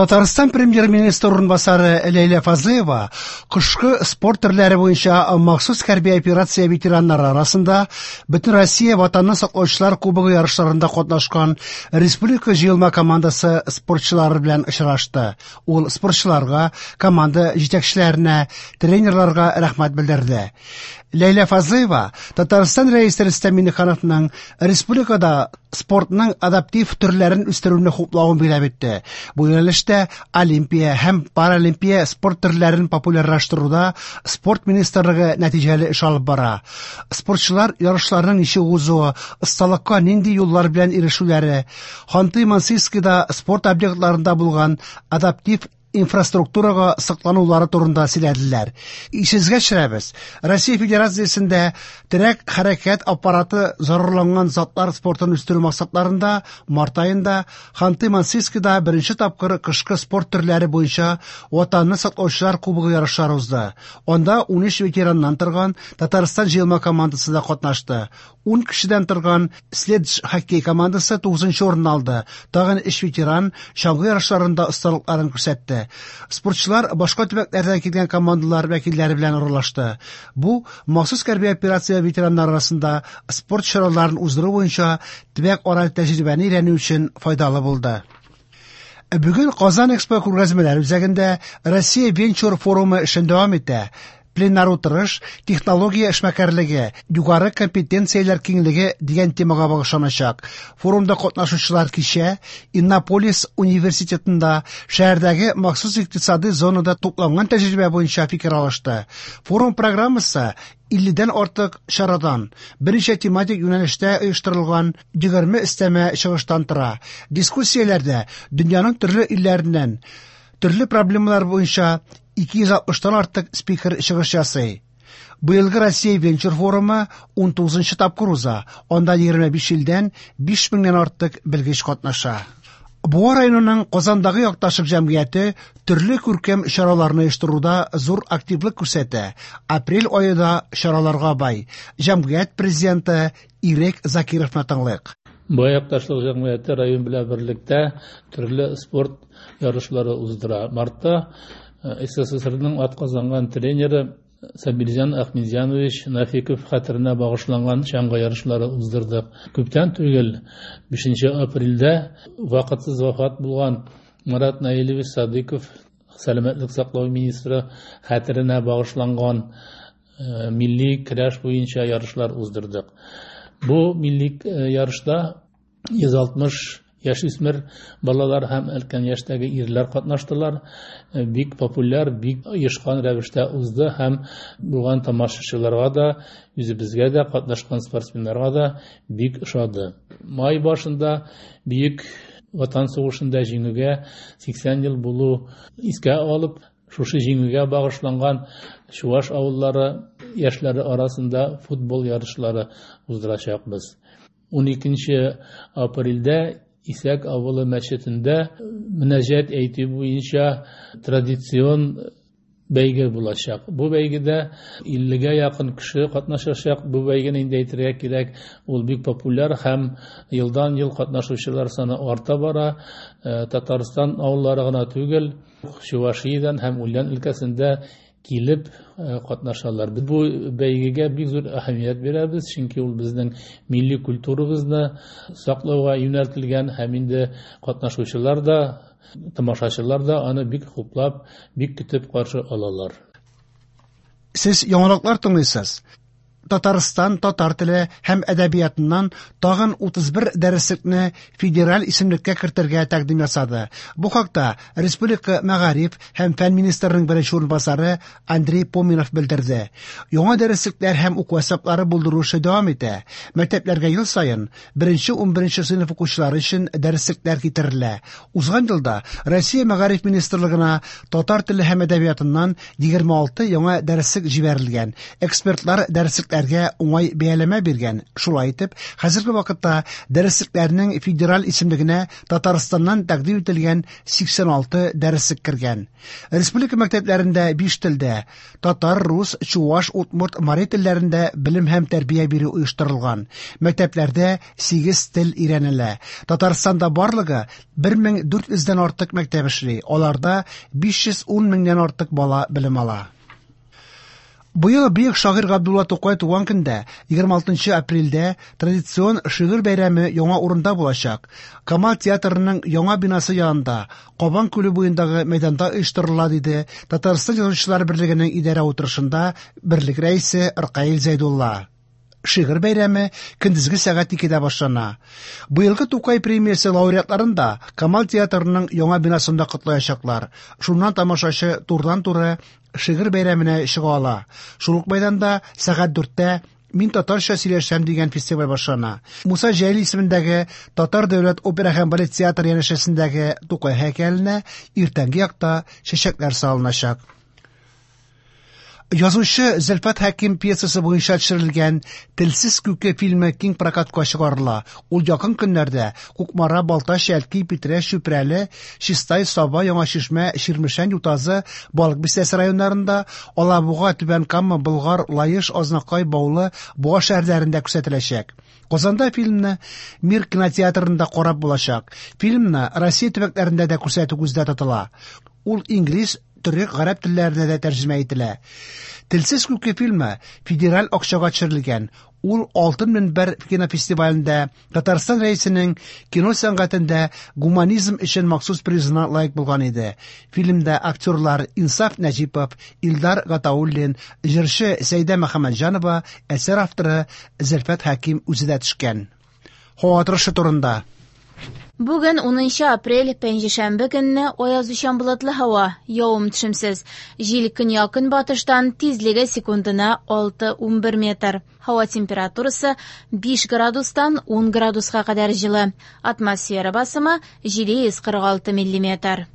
Татарстан премьер-министры урынбасары Ләйлә Фазлыева кышкы спорт төрләре буенча махсус хәрби операция ветераннары арасында Бөтенроссия Ватанны саклаучылар кубогы ярышларында катнашкан республика җыелма командасы спортчылары белән очрашты. Ул спортчыларга, команда җитәкчеләренә, тренерларга рәхмәт белдерде. Ләйлә Фазлыева Татарстан Рәисе Рөстәм Миңнехановның республикада спортның адаптив төрләрен үстерүне хуплавын билгеләп үтте. Бу юнәлештә олимпия һәм паралимпия спорт төрләрен популярлаштыруда спорт министрлыгы нәтиҗәле эш алып бара. Спортчылар ярышларның ничек узуы, осталыкка нинди юллар белән ирешүләре, Ханты-Мансийскида спорт объектларында булган адаптив инфраструктурага сокланулары турында сөйләделәр. Исегезгә төшерәбез, Россия Федерациясендә терәк хәрәкәт аппараты зарарланган затлар спортын үстерү максатларында март аенда Ханты-Мансийскида беренче тапкыр кышкы спорт төрләре буенча Ватанны саклаучылар кубогы ярышлары узды. Анда 13 ветераннан торган Татарстан җыелма командасы да катнашты. 10 кешедән торган Следж хоккей командасы 9 урын алды. Тагын 3 ветеран чаңгы ярышларында осталыкларын күрсәтте. Спортчылар башка төбәкләрдән килгән командалар вәкилләре белән аралашты. Бу махсус хәрби операция ветераннары арасында спорт чараларын уздыру буенча төбәк-ара тәҗрибәне өйрәнү өчен файдалы булды. Бүген Казан Экспо күргәзмәләр үзәгендә Россия венчур форумы эшен дәвам итә. Пленар утырыш технология эшмәкәрлеге, югары компетенцияләр киңлеге дигән темага багышланачак. Форумда катнашучылар кичә Иннополис университетында шәһәрдәге махсус икътисади зонада тупланган тәҗрибә буенча фикер алышты. Форум программасы 50-дән артык чарадан, берничә тематик юнәлештә оештырылган 20 өстәмә чыгыштан тора. Дискуссияләрдә дөньяның төрле илләреннән төрле проблемалар буенча 260-тан артык спикер чыгыш ясый. Быелгы Россия венчур форумы 19 тапкыр уза. Анда 25 илдән 5000-нән артык белгеч катнаша. Буа районының Казандагы якташлык җәмгыяте төрле күркәм чараларны оештыруда зур активлык күрсәтә. Апрель ае да чараларга бай. Җәмгыять президенты Ирек Закировны тыңлыйк. Буа якташлык җәмгыяте район белән берлектә төрле спорт ярышлары уздыра. Мартта СССРның атказанган тренеры Сабирҗан Ахмедҗанович Нафиков хәтеренә багышланган чаңгы ярышлары уздырдык. Күптән түгел 5 апрельдә вакытсыз вафат булган Марат Наилевич Садыков сәламәтлек саклау министры хәтеренә багышланган милли көрәш буенча ярышлар уздырдык. Бу милли ярышта 160 яшүсмер балалар һәм өлкән яшьтәге ирләр катнаштылар. Бик популяр, бик оешкан рәвештә узды һәм булган тамашачыларга да, үзебезгә дә, катнашкан спортсменнарга да бик ошады. Май башында Бөек Ватан сугышында җиңүгә 80 ел булу искә алып, шушы җиңүгә багышланган чуваш авыллары яшьләре арасында футбол ярышлары уздырачакбыз. 12 апрельдә Исәк авылы мәчетендә мөнәҗәт әйтү буенча традицион бәйге булачак. Бу бәйгедә 50-гә якын кеше катнашачак. Бу бәйгене инде әйтергә кирәк, ул бик популяр һәм елдан-ел катнашучылар саны арта бара. Татарстан авыллары гына түгел, Чувашиядән һәм Ульян өлкәсендә килеп катнашалар. Без бу бәйгегә бик зур әһәмият бирәбез, чөнки ул безнең милли культурабызны саклауга юнәлтелгән һәм инде катнашучылар да, тамашачылар да аны бик хуплап, бик көтеп каршы алалар. Сез яңалыклар тыңлыйсыз. Татарстан татар теле һәм әдәбиятыннан тагын 31 дәреслекне федераль исемлеккә кертергә тәкъдим ясады. Бу хакта республика мәгариф һәм фән министрының беренче урынбасары Андрей Поминов белдерде. Яңа дәреслекләр һәм уку әсбаплары булдыру эше дәвам итә. Мәктәпләргә ел саен беренче 11 сыйныф укучылары өчен дәреслекләр китерелә. Узган елда Россия мәгариф министрлыгына татар теле һәм әдәбиятыннан 26 яңа дәреслек җибәрелгән. Экспертлар дәреслекләрне дәреслекләргә уңай бәяләмә биргән. Шулай итеп, хәзерге вакытта дәреслекләрнең федераль исемлегенә Татарстаннан тәкъдим ителгән 86 дәреслек кергән. Республика мәктәпләрендә 5 телдә – татар, рус, чуаш, удмурт, мари телләрендә белем һәм тәрбия бирү оештырылган. Мәктәпләрдә 8 тел өйрәнелә. Татарстанда барлыгы 1400 дән артык мәктәп эшли. Аларда 510 меңнән артык бала белем ала. Быел бөек шагыйрь Габдулла Тукай туган көндә, 26 апрельдә, традицион шигырь бәйрәме яңа урында булачак. Камал театрының яңа бинасы янында, Кабан күле буендагы мәйданда оештырыла, диде Татарстан Язучылар берлегенең идарә утырышында берлек рәисе Ркаил Зәйдулла. Шигырь бәйрәме көндезге сәгать 2дә башлана. Быелгы Тукай премиясе лауреатларын да Камал театрының яңа бинасында котлаячаклар. Шуннан тамашачы турыдан-туры шигырь бәйрәменә чыга ала. Шул ук мәйданда сәгать 4тә Мин татарча сөйләшәм дигән фестиваль башлана. Муса Җәлил исемендәге Татар дәүләт опера һәм балет театры янәшәсендәге Тукай һәйкәленә иртәнге якта чәчәкләр салыначак. Язучы Зөлфәт Хәким пьесасы буенча төшерелгән Телсез күке фильмы киң прокатка чыгарыла. Ул якын көннәрдә Кукмара, Балтач, Әлки, Питрәч, Чүпрәле, Чистай, Саба, Яңа Чишмә, Чирмешән, Ютазы, Балык Бистәсе районнарында, Алабуга, Түбән Кама, Болгар, Лаеш, Азнакай, Баулы, Буа шәһәрләрендә күрсәтеләчәк. Казанда фильмны Мир кинотеатрында карап булачак. Фильмны Россия төбәкләрендә дә күрсәтү күздә тотыла. Ул инглиз, төрек, гарәп телләренә дә тәрҗемә ителә. Телсез күке фильмы федераль акчага төшерелгән. Ул Алтын мөнбәр кинофестивалендә Татарстан Рәисенең кино сәнгатендә гуманизм өчен махсус призына лаек булган иде. Фильмда актерлар Инсаф Нәҗипов, Илдар Гатауллин, җырчы Сәйдә Мөхәммәтҗанова, әсәр авторы Зөлфәт Хәким үзе дә төшкән. Һава торышы турында. Бүген 10 апрель, пәнҗешәмбе көнне аязучан болытлы һава, явым-төшемсез. Җил көньяк-көнбатыштан, тизлеге секундына 6-11 метр. Һава температурасы 5 градустан 10 градуска кадәр җылы. Атмосфера басымы 746 миллиметр.